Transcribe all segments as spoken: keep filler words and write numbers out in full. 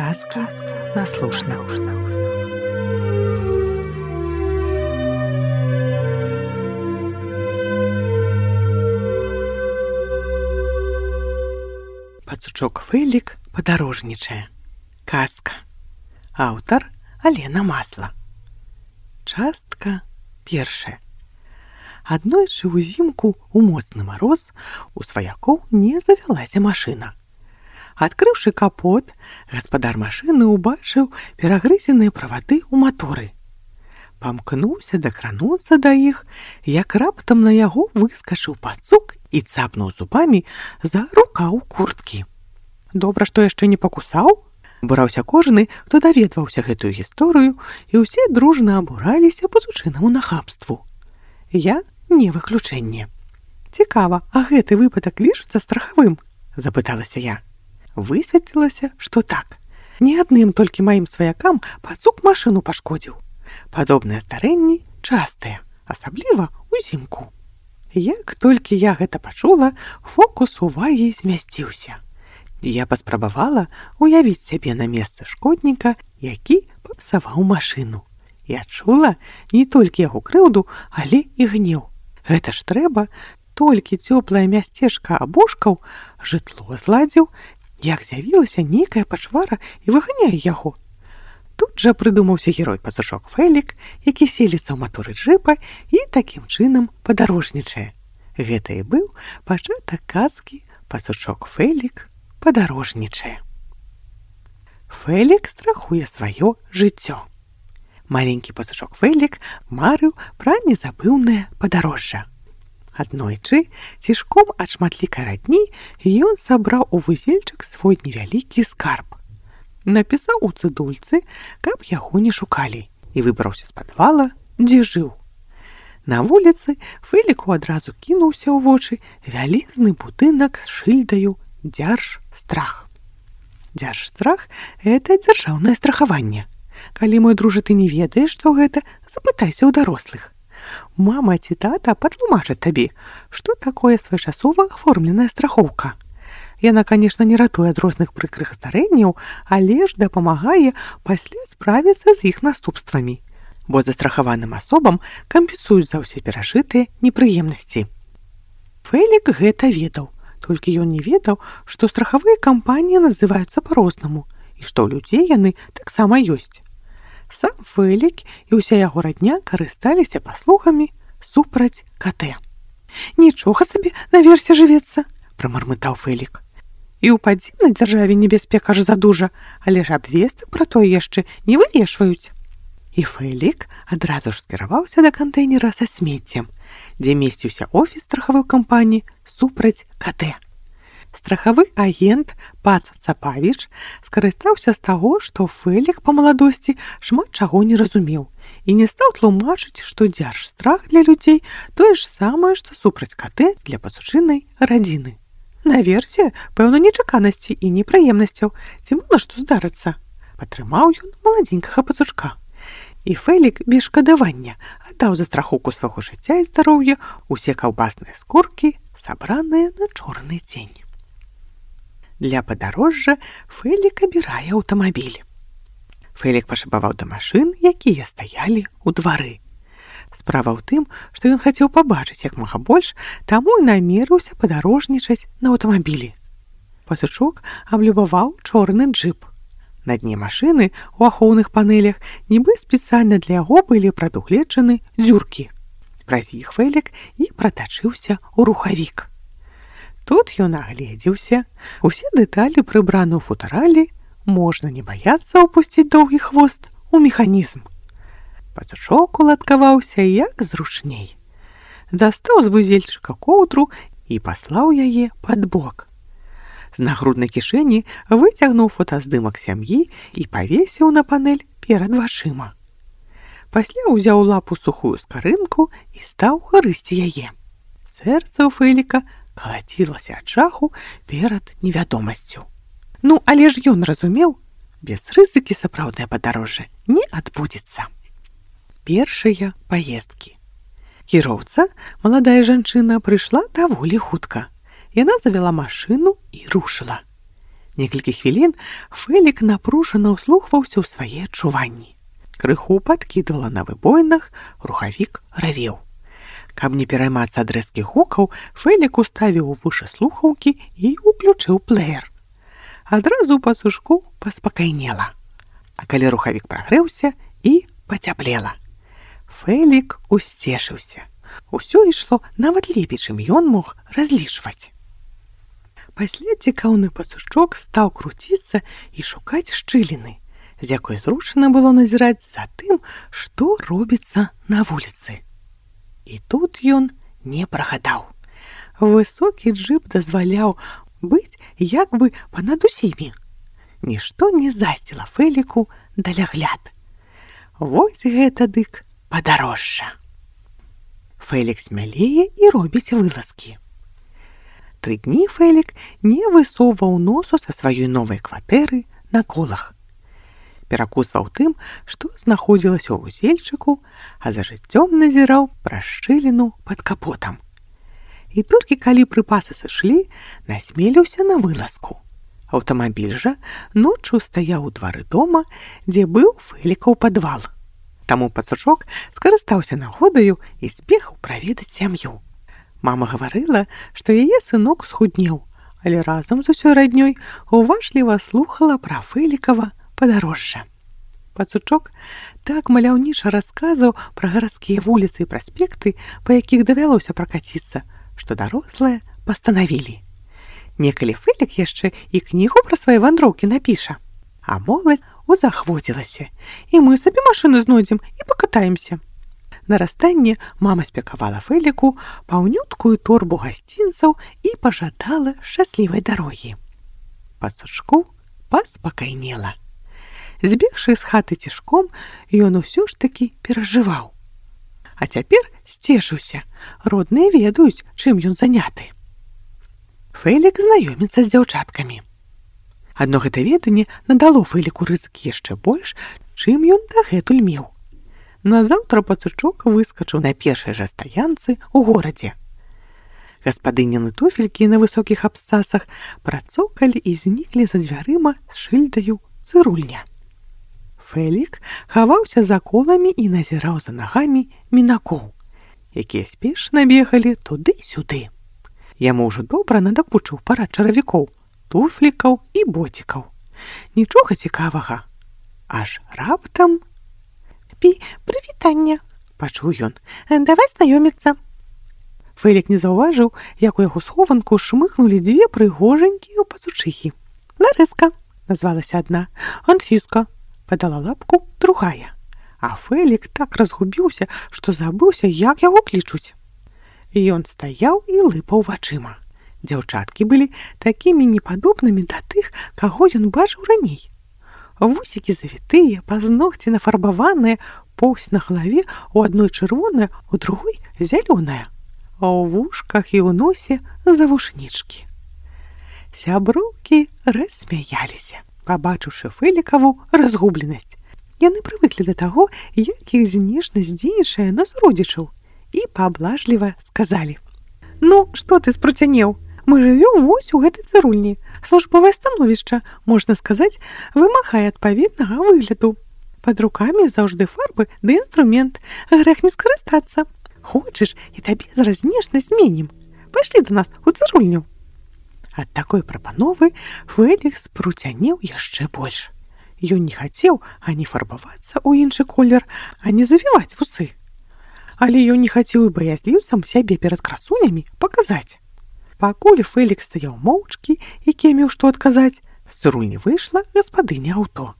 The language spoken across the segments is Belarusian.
Сказки на слушна. Пацучок Фэлік падарожнічае. Казка. Аўтар Алена Масла. Частка першая. Аднойчы ўзімку у моцны мароз у сваякоў не завялася машына. Адкрыўшы капот, гаспадар машыны ўбачыў перагрызеныя правады ў маторы. Памкнуўся дакрануцца да іх, як раптам на яго выскачыў пацук і цапнуў зубамі за рукаў курткі. Добра, што яшчэ не пакусаў? Бураўся кожны, хто даведваўся гэтую гісторыю, і ўсе дружна абураліся пацучынаму нахабству. Я не выключэнне. Цікава, а гэты выпадак лічыцца страхавым? Запыталася я. Высветлілася, што так. Не адным толькі маім сваякам пацук машыну пашкодзіў. Падобныя здарэнні частыя, асабліва ўзімку. Як толькі я гэта пачула, фокус увагі змясціўся. Я паспрабавала уявіць сябе на месцы шкодніка, які папсаваў машыну. Я чула не толькі яго крыўду, але і гнеў. Гэта ж трэба, толькі цёплае мясцежка абушкаў, жытло зладзіў, як з'явілася нейкая пачвара і выганяе яго. Тут жа прыдумаўся герой пацучок Фэлік, які селіцца ў маторы джыпа і такім чынам падарожнічае. Гэта і быў пачатак казкі «Пацучок Фэлік падарожнічае». Фэлік страхуе сваё жыццё. Маленькі пацучок Фэлік марыў пра незабыўнае падарожжа. Аднойчы, цішком ад шматлікай радні, ён сабраў у вузельчык свой невялікі скарб. Напісаў у цыдульцы, каб яго не шукалі, і выбраўся з падвала, дзе жыў. На вуліцы Фэліку адразу кінуўся ў вочы вялізны будынак з шыльдаю «Дзяржстрах». Дзяржстрах – гэта дзяржаўнае страхаванне. Калі, мой дружа, ты не ведаеш, што гэта, запытайся ў дарослых. Мама ці тата патлумачаць табе, што такое своечасова аформленая страхоўка. Яна, канешне, не ратуе ад розных прыкрых здарэнняў, але ж дапамагае пасля справіцца з іх наступствамі, бо застрахаваным асобам кампенсуюць за ўсе перажытыя непрыемнасці. Фэлік гэта ведаў, толькі ён не ведаў, што страхавыя кампаніі называюцца па-рознаму і што ў людзей яны таксама ёсць. Сам Фэлік і ўся яго радня карысталіся паслугамі супраць КТ. «Нічога сабе наверсе жывецца», – прамармытаў Фэлік. «І ў падземнай дзяржаве небяспека ж задужа, але ж абвестак пра тое яшчэ не вывешваюць». І Фэлік адразу ж скіраваўся да кантэйнера са смеццем, дзе месціўся офіс страхавой кампаніі супраць КТ. Страхавы агент Пац Цапавіч скарыстаўся з таго, што Фэлік па маладосці шмат чаго не разумеў і не стаў тлумачыць, што дзяржстрах для людзей тое ж самае, што супраць КТ для пацучынай радзіны. Наверсе, пэўна, нечаканасці і непрыемнасцяў, ці мала што здарыцца. Падтрымаў ён маладзенькага пацучка. І Фэлік без шкадавання аддаў за страхоўку свайго жыцця і здароўя усе каўбасныя скуркі, сабраныя на чорны дзень. Для падарожжа Фэлік абірае аўтамабіль. Фэлік пашабаваў да машын, якія стаялі ў двары. Справа ў тым, што ён хацеў пабачыць як мага больш, таму і намерыўся падарожнічаць на аўтамабілі. Пацучок аблюбаваў чорны джып. На дне машыны ў ахоўных панелях нібы спецыяльна для яго былі прадугледжаны дзюркі. Праз іх Фэлік і пратачыўся ў рухавік. Тут ён агледзеўся, усе дэталі прыбраны ў футаралі, можна не баяцца ўпусціць доўгі хвост у механізм. Пацучок уладкаваўся як зручней. Дастаў з вузельчыка коўдру і паслаў яе пад бок. З нагруднай кішэні выцягнуў фотаздымак сям'і і павесіў на панель перад вачыма. Пасля ўзяў лапу сухую скарынку і стаў грызці яе. Сэрца ў Фэліка калацілася ад жаху перад невядомасцю. Ну, але ж ён разумеў, без рызыкі сапраўднае падарожжа не адбудзецца. Першыя паездкі. Кіроўца, маладая жанчына, прыйшла даволі хутка. Яна завяла машыну і рушыла. Некалькі хвілін Фэлік напружана ўслухваўся ў свае адчуванні. Крыху падкідвала на выбоінах, рухавік равеў. Каб не пераймацца ад рэзкіх гукаў, Фэлік уставіў у вушы слухаўкі і ўключыў плеер. Адразу ў пацушку паспакайнела. А калі рухавік прагрэўся, і пацяплела. Фэлік усцешыўся. Усё ішло нават лепей, чым ён мог разлічваць. Пасля цікаўны пацушчок стаў круціцца і шукаць шчыліны, з якой зручна было назіраць за тым, што робіцца на вуліцы. І тут ён не прагадаў. Высокі джып дазваляў быць як бы панад усімі. Нішто не засціла Фэліку далягляд. Вось гэта дык падарожжа. Фэлік смялее і робіць вылазкі. Тры дні Фэлік не высоўваў носу са сваёй новай кватэры на колах. Перакусваў тым, што знаходзілася ў вузельчыку, а за жыццём назіраў праз шчыліну пад капотам. І толькі калі прыпасы сышлі, насмеліўся на вылазку. Аўтамабіль жа ноччу стаяў у двары дома, дзе быў Фэлікаў падвал. Таму пацушок скарыстаўся нагодаю і збегаў праведаць сям'ю. Мама гаварыла, што яе сынок схуднеў, але разам з усёй раднёй уважліва слухала пра Фэлікава падарожжа. Пацучок так маляўніча расказаў пра гарадскія вуліцы і праспекты, па якіх давялося пракаціцца, што дарослыя пастанавілі. Некалі Фэлік яшчэ і кнігу пра свае вандроўкі напіша. А моладзь узахвоцілася. І мы сабе машыну знойдзем і пакатаемся. На расстанне мама спякавала Фэліку паўнюткую торбу гасцінцаў і пажадала шчаслівай дарогі. Пацушку паспакайнела. Збегшы з хаты цішком, ён усё ж такі перажываў. А цяпер сцешыўся. Родныя ведаюць, чым ён заняты. Фэлік знаёміцца з дзяўчаткамі. Адно гэта веданне надало Фэліку рызык яшчэ больш, чым ён дагэтуль меў. Назаўтра пацучок выскачыў на першай жа стаянцы ў горадзе. Гаспадыніны туфелькі на высокіх абцасах працокалі і зніклі за дзвярыма з шыльдаю «Цырульня». Фэлік хаваўся за коламі і назіраў за нагамі мінакоў, якія спешна бегалі туды-сюды. Яму ўжо добра надакучыў парад чаравікоў, туфлікаў і боцікаў. Нічога цікавага. Аж раптам... «Пі, прывітання!» – пачуў ён. «Давай знаёміцца!» Фэлік не заўважыў, як у яго схованку шмыхнулі дзве прыгожанькія пацучыхі. «Ларыска!» – назвалася адна. «Анфіска!» – падала лапку другая. А Фэлік так разгубіўся, што забыўся, як яго клічуць. Ён стаяў і лыпаў вачыма. Дзяўчаткі былі такімі непадобнымі да тых, каго ён бачыў раней. Вусікі завітыя, пазногці нафарбаваныя, поўсць на галаве у адной чырвоная, у другой зялёная, а ў вушках і ў носе завушнічкі. Сяброўкі рассмяяліся, пабачыўшы Фэлікаву разгубленасць. Яны прывыклі да таго, як іх знешнасць дзейнічае на суродзічаў, і пааблажліва сказалі: «Ну, што ты спруцянеў? Мы жывём вось у гэтай цырульні. Службовае становішча, можна сказаць, вымагае адпаведнага выгляду. Пад рукамі заўжды фарбы ды інструмент. Грэх не скарыстацца. Хочаш, і табе зараз знешнасць зменім. Пайшлі да нас у цырульню». Ад такой прапановы Фэлік спруцянеў яшчэ больш. Ён не хацеў ані фарбавацца ў іншы колер, ані завіваць вусы. Але ён не хацеў і баязліўцам сябе перад красунямі паказаць. Пакуль Фэлік стаяў моўчкі і кемеў што адказаць, з цырульні выйшла гаспадыня аўто.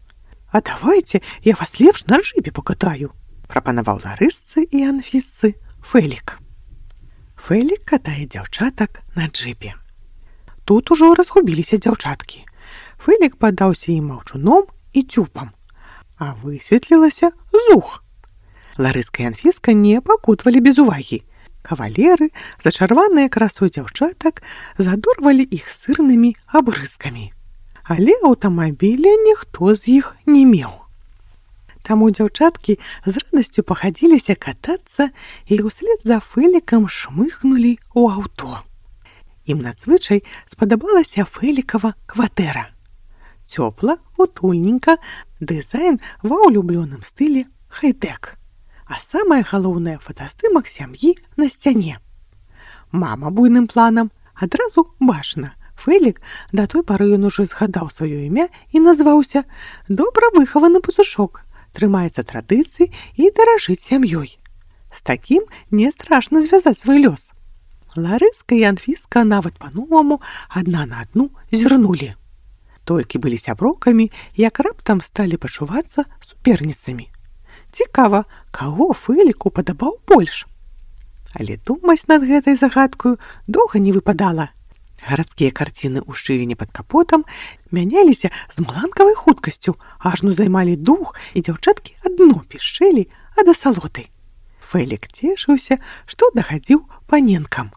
«А давайце, я вас лепш на джыпе пакатаю», – прапанаваў Ларысцы і Анфісцы Фэлік. Фэлік катае дзяўчатак на джыпе. Тут ужо разгубіліся дзяўчаткі. Фэлік падаўся ім маўчуном і цюпам, а высветлілася зух. Ларыска і Анфіска не пакутвалі без увагі. Кавалеры, зачарваныя красой дзяўчатак, задорвалі іх сырнымі абрызкамі. Але аўтамабіля ніхто з іх не меў. Таму дзяўчаткі з радасцю пахадзіліся катацца і ўслед за Фэлікам шмыхнулі ў аўто. Ім надзвычай спадабалася Фэлікава кватэра. Цёпла, утульненька, дызайн ва ўлюблёным стылі хай-тэк. А самае галоўнае — фотаздымак сям'і на сцяне. Мама буйным планам. Адразу бачна. Фэлік, да той пары ён ужо згадаў сваё імя і назваўся. Добра выхаваны пацушок, трымаецца традыцый і даражыць сям'ёй. З такім не страшна звязаць свой лёс. Ларыска і Анфіска нават па-новаму адна на адну зірнулі. Толькі былі сяброўкамі, як раптам сталі пачувацца суперніцамі. Цікава, каго Фэліку падабаў больш? Але думаць над гэтай загадкаю доўга не выпадала. Гарадскія карціны ў шчыліне пад капотам мяняліся з маланкавай хуткасцю, ажно займалі дух, і дзяўчаткі адно пішчэлі ад асалоты. Фэлік цешыўся, што дагадзіў паненкам.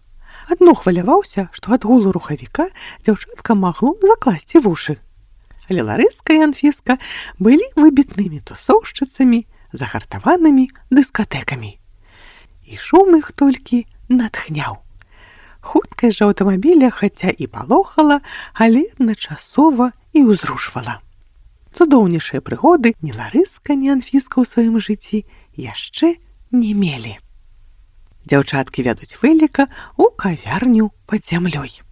Адно хваляваўся, што ад гулу рухавіка дзяўчатка магло закласці вушы. Але Ларыска і Анфіска былі выбітнымі тусоўшчыцамі, загартаванымі дыскатэкамі. І шум іх толькі натхняў. Хуткасць жа аўтамабіля хаця і палохала, але адначасова і ўзрушвала. Цудоўнейшыя прыгоды ні Ларыска, ні Анфіска ў сваім жыцці яшчэ не мелі. Дзяўчаткі вядуць Фэліка ў кавярню пад зямлёй.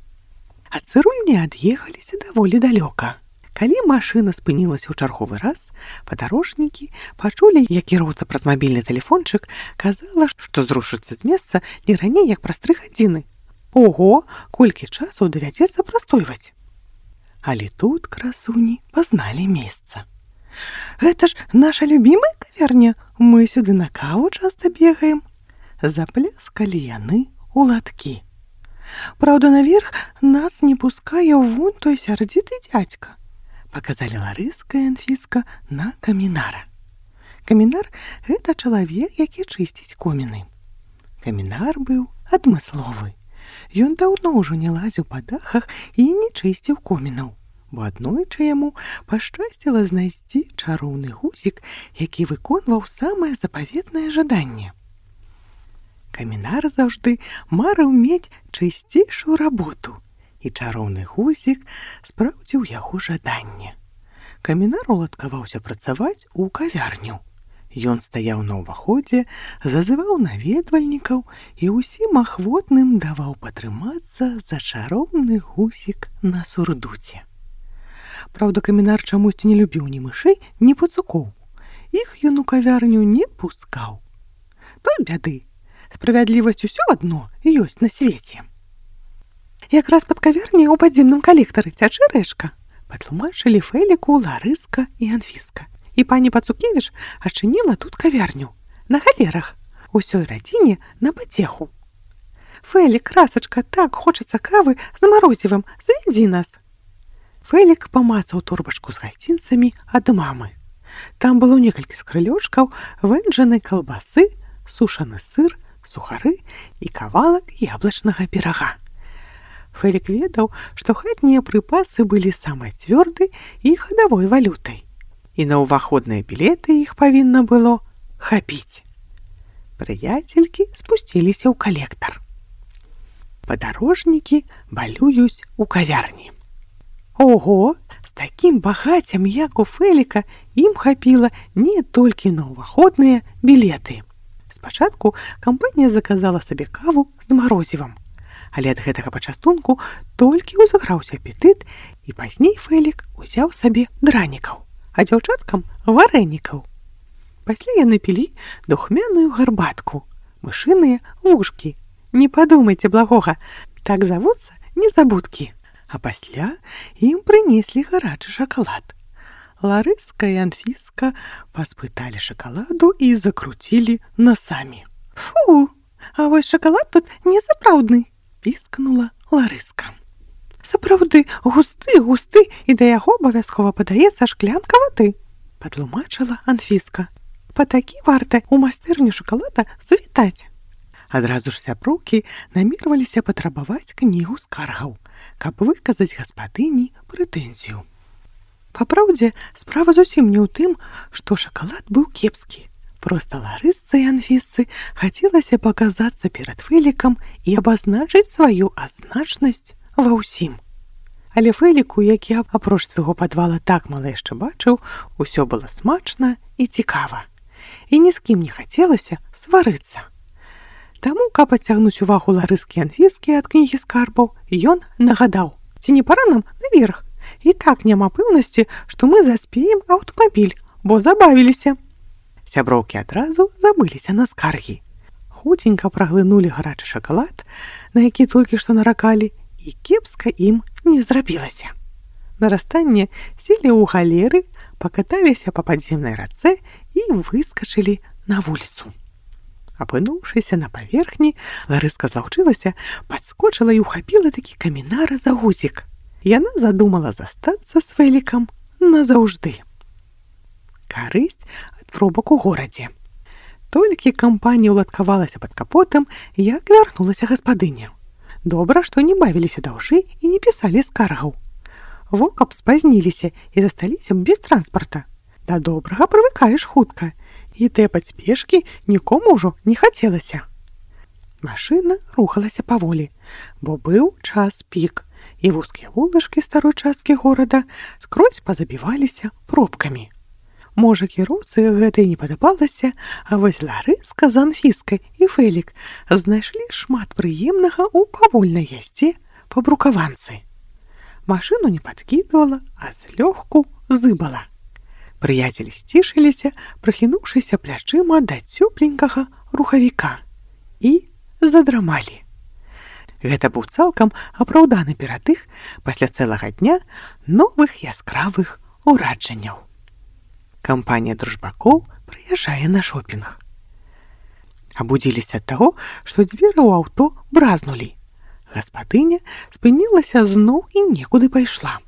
Ад цырульні ад'ехаліся даволі далёка. Калі машына спынілася ў чарговы раз, падарожнікі пачулі, як кіроўца праз мабільны тэлефончык казала, што зрушыцца з месца не раней, як праз тры гадзіны. Ого, колькі часу давядзецца прастойваць. Але тут красуні пазналі месца. Гэта ж наша любімая кавярня, мы сюды на каву часта бегаем. Запляскалі яны ў ладкі. Праўда, наверх нас не пускае вунь той сярдзіты дзядзька. Паказалі Ларыска і Анфіска на камінара. Камінар — гэта чалавек, які чысціць коміны. Камінар быў адмысловы. Ён даўно ўжо не лазіў па дахах і не чысціў комінаў, бо аднойчы яму пашчасціла знайсці чароўны гузік, які выконваў самае запаветнае жаданне. Камінар заўжды марыў мець чысцейшую работу, і чароўны гузік спраўдзіў яго жаданне. Камінар уладкаваўся працаваць у кавярню. Ён стаяў на ўваходзе, зазываў наведвальнікаў і ўсім ахвотным даваў патрымацца за чароўны гузік на сурдуце. Праўда, камінар чамусьці не любіў ні мышэй, ні пацукоў. Іх ён у кавярню не пускаў. Тут бяды. Справядлівасць усё адно ёсць на свеце. Якраз пад кавярняй у падземным калектары цячэ рэчка, патлумачылі Фэліку Ларыска і Анфіска. І пані Пацукевіч адчыніла тут кавярню, на галерах, усёй радзіне на пацеху. Фэлік, красачка, так хочацца кавы з марозівым, завядзі нас. Фэлік памацаў торбачку з гасцінцамі ад мамы. Там было некалькі скрылёчкаў, вэнджанай калбасы, сушаны сыр, сухары і кавалак яблычнага пірага. Фэлік ведаў, што хатнія прыпасы былі самай цвёрдай і хадавой валютай. І на ўваходныя білеты іх павінна было хапіць. Прыяцелькі спусціліся ў калектар. Падарожнікі балююць у кавярні. Ого, з такім багаццем, як у Фэліка, ім хапіла не толькі на ўваходныя білеты. Спачатку кампанія заказала сабе каву з марозівам, але ад гэтага пачастунку толькі ўзаграўся апетыт, і пазней Фэлік узяў сабе дранікаў, а дзяўчаткам варэнікаў. Пасля яны пілі духмяную гарбатку, мышыныя вушкі. Не падумайце благога, так завуцца незабудкі. А пасля ім прынеслі гарачы шакалад. Ларыска і Анфіска паспыталі шакаладу і закруцілі насамі. Фу, а вось шакалад тут несапраўдны, піскнула Ларыска. Сапраўды, густы, густы, і да яго абавязкова падаецца шклянка вады, патлумачыла Анфіска. Па такі варта ў майстэрню шакалада завітаць. Адразу ж сяброўкі намерваліся патрабаваць кнігу скаргаў, каб выказаць гаспадыні прэтэнзію. Папраўдзе, справа зусім не ў тым, што шакалад быў кепскі. Проста Ларысцы і Анфісцы хацелася паказацца перад Фэлікам і абазначыць сваю азначнасць ва ўсім. Але Фэліку, які апроч свайго падвала так мала яшчэ бачыў, усё было смачна і цікава. І ні з кім не хацелася сварыцца. Таму, каб адцягнуць увагу Ларыскі і Анфіскі ад кнігі скарбаў, ён нагадаў: «Ці не пара нам наверх? І так няма пэўнасці, што мы заспеем аўтамабіль, бо забавіліся». Сяброўкі адразу забыліся на скаргі. Хуценька праглынулі гарачы шакалад, на які толькі што наракалі, і кепска ім не зрабілася. На расстанне селі ў галеры, пакаталіся па падземнай рацэ і выскачылі на вуліцу. Апынуўшыся на паверхні, Ларыска злаўчылася, падскочыла і ўхапіла такі камінара за гузік. Яна задумала застацца з Фэлікам назаўжды. Карысць ад пробак у горадзе. Толькі кампанія ўладкавалася пад капотам, як вярнулася гаспадыня. Добра, што не бавіліся даўжэй і не пісалі скаргаў. Во каб спазніліся і засталіся без транспарта. Да добрага прывыкаеш хутка, і тэпаць пешкі нікому ўжо не хацелася. Машына рухалася паволі, бо быў час пік, і вузкія вулачкі старой часткі горада скрозь пазабіваліся пробкамі. Можа, кіроўцы гэта і не падабалася, а вось Ларыска з Анфіскай і Фэлік знайшлі шмат прыемнага ў павольнай яздзе па брукаванцы. Машыну не падкідвала, а злёгку зыбала. Прыяцелі сцішыліся, прыхінуўшыся плячыма да цёпленькага рухавіка, і задрамалі. Гэта быў цалкам апраўданы перадых пасля цэлага дня новых яскравых ураджанняў. Кампанія дружбакоў прыязджае на шопінг. Абудзіліся ад таго, што дзверы ў аўто бразнулі. Гаспадыня спынілася зноў і некуды пайшла.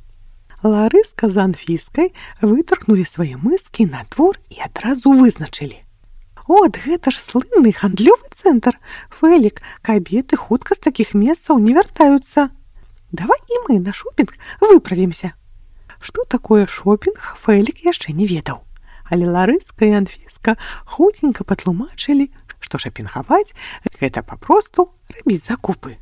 Ларыска з Анфіскай вытаркнулі свае мыскі на двор і адразу вызначылі: «От, гэта ж слынны гандлёвы цэнтр. Фэлік, кабеты хутка з такіх месцаў не вяртаюцца. Давай і мы на шопінг выправімся». Што такое шопінг, Фэлік яшчэ не ведаў. Але Ларыска і Анфіска хуценька патлумачылі, што шапінгаваць – гэта папросту рабіць закупы.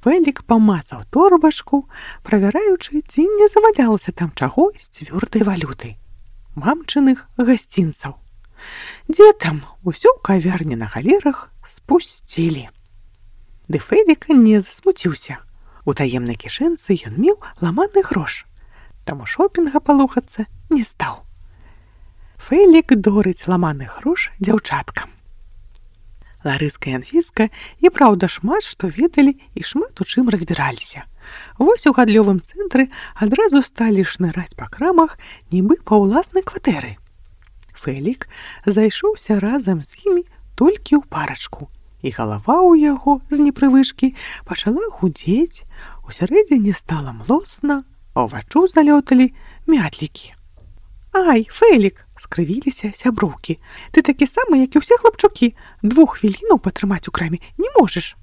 Фэлік памацаў торбачку, правяраючы, ці не завалялася там чаго з цвёрдай валюты – мамчыных гасцінцаў. Дзе там, усё ў кавярні на галерах спусцілі. Ды Фэлік не засмуціўся. У таемнай кішэнцы ён меў ламаны грош. Таму шопінга палохацца не стаў. Фэлік дорыць ламаны грош дзяўчаткам. Ларыска і Анфіска і праўда шмат што ведалі і шмат у чым разбіраліся. Вось у гандлёвым цэнтры адразу сталі шныраць па крамах, нібы па ўласнай кватэры. Фэлік зайшоўся разам з імі толькі ў парачку, і галава ў яго з непрывычкі пачала гудзець, усярэдзіне стала млосна, а ўваччу залёталі мятлікі. «Ай, Фэлік!» – скрывіліся сяброўкі. «Ты такі самы, як і ўсе хлапчукі. Двух хвілінаў патрымаць у краме не можаш.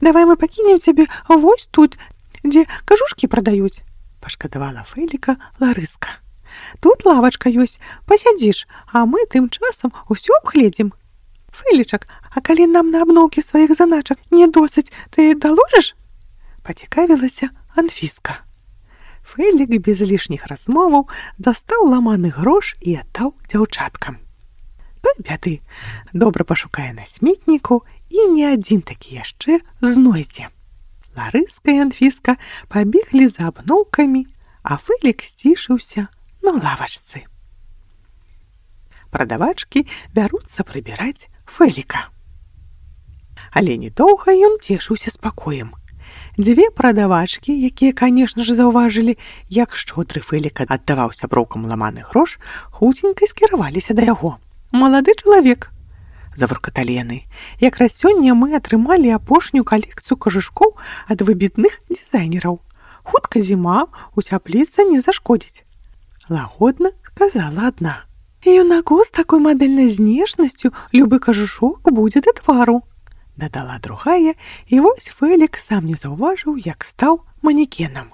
Давай мы пакінем цябе вось тут, дзе кажушкі прадаюць», – пашкадавала Фэліка Ларыска. «Тут лавачка ёсць, пасядзіш, а мы тым часам усё абгледзім. Фэлічак, а калі нам на абноўкі сваіх заначак не досыць, ты даложыш?» – пацікавілася Анфіска. Фэлік без лішніх размоваў дастаў ламаны грош і аддаў дзяўчаткам. Той бяды, добра пашукае на сметніку, і не адзін такі яшчэ знойдзе. Ларыска і Анфіска пабеглі за абноўкамі, а Фэлік сцішыўся на лавачцы. Прадавачкі бяруцца прыбіраць Фэліка. Але недоўга ён цешыўся спакоем. Дзве прадавачкі, якія, канешне ж, заўважылі, як шчодры Фэлік аддаваў сяброўкам ламаны грош, хуценька скіраваліся да яго. «Малады чалавек», – завуркаталі яны, – «якраз сёння мы атрымалі апошнюю калекцыю кажушкоў ад выбітных дызайнераў. Хутка зіма, уцяпліцца не зашкодзіць». Лагодна сказала адна. «Юнаку з такой мадэльнай знешнасцю любы кажушок будзе да твару», дадала другая, і вось Фэлік сам не заўважыў, як стаў манекенам.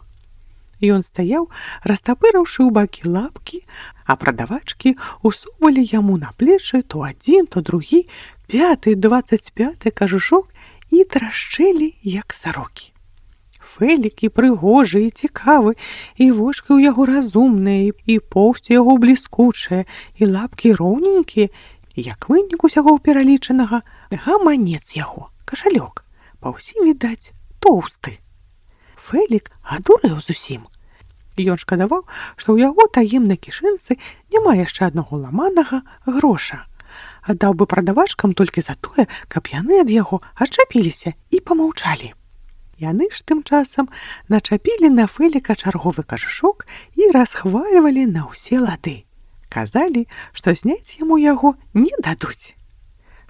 Ён стаяў, растапырыўшы ў бакі лапкі, а прадавачкі усувалі яму на плечы то адзін, то другі, пяты, дваццаць пяты кажушок і трашчэлі, як сарокі. Фэлік і прыгожы, і цікавы, і вочкі ў яго разумныя, і поўсць яго бліскучая, і лапкі роўненькія, і як вынік усяго пералічанага, гаманец яго, кашалёк, па ўсім, відаць, тоўсты. Фэлік адурэў зусім. Ён шкадаваў, што ў яго таемнай кішэнцы няма яшчэ аднаго ламанага гроша. Аддаў бы прадавачкам толькі за тое, каб яны ад яго адчапіліся і памаўчалі. Яны ж тым часам начапілі на Фэліка чарговы кажушок і расхвальвалі на ўсе лады. Казалі, што зняць яму яго не дадуць.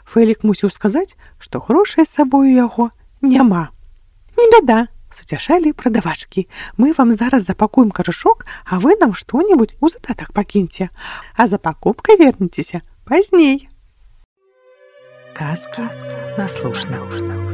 Фэлік мусіў сказаць, што грошай з сабою яго няма. «Не бяда», – суцяшалі прадавачкі. «Мы вам зараз запакуем кажушок, а вы нам што-небудзь у задатак пакіньце. А за пакупкай вернецеся пазней». Казкі на слушна.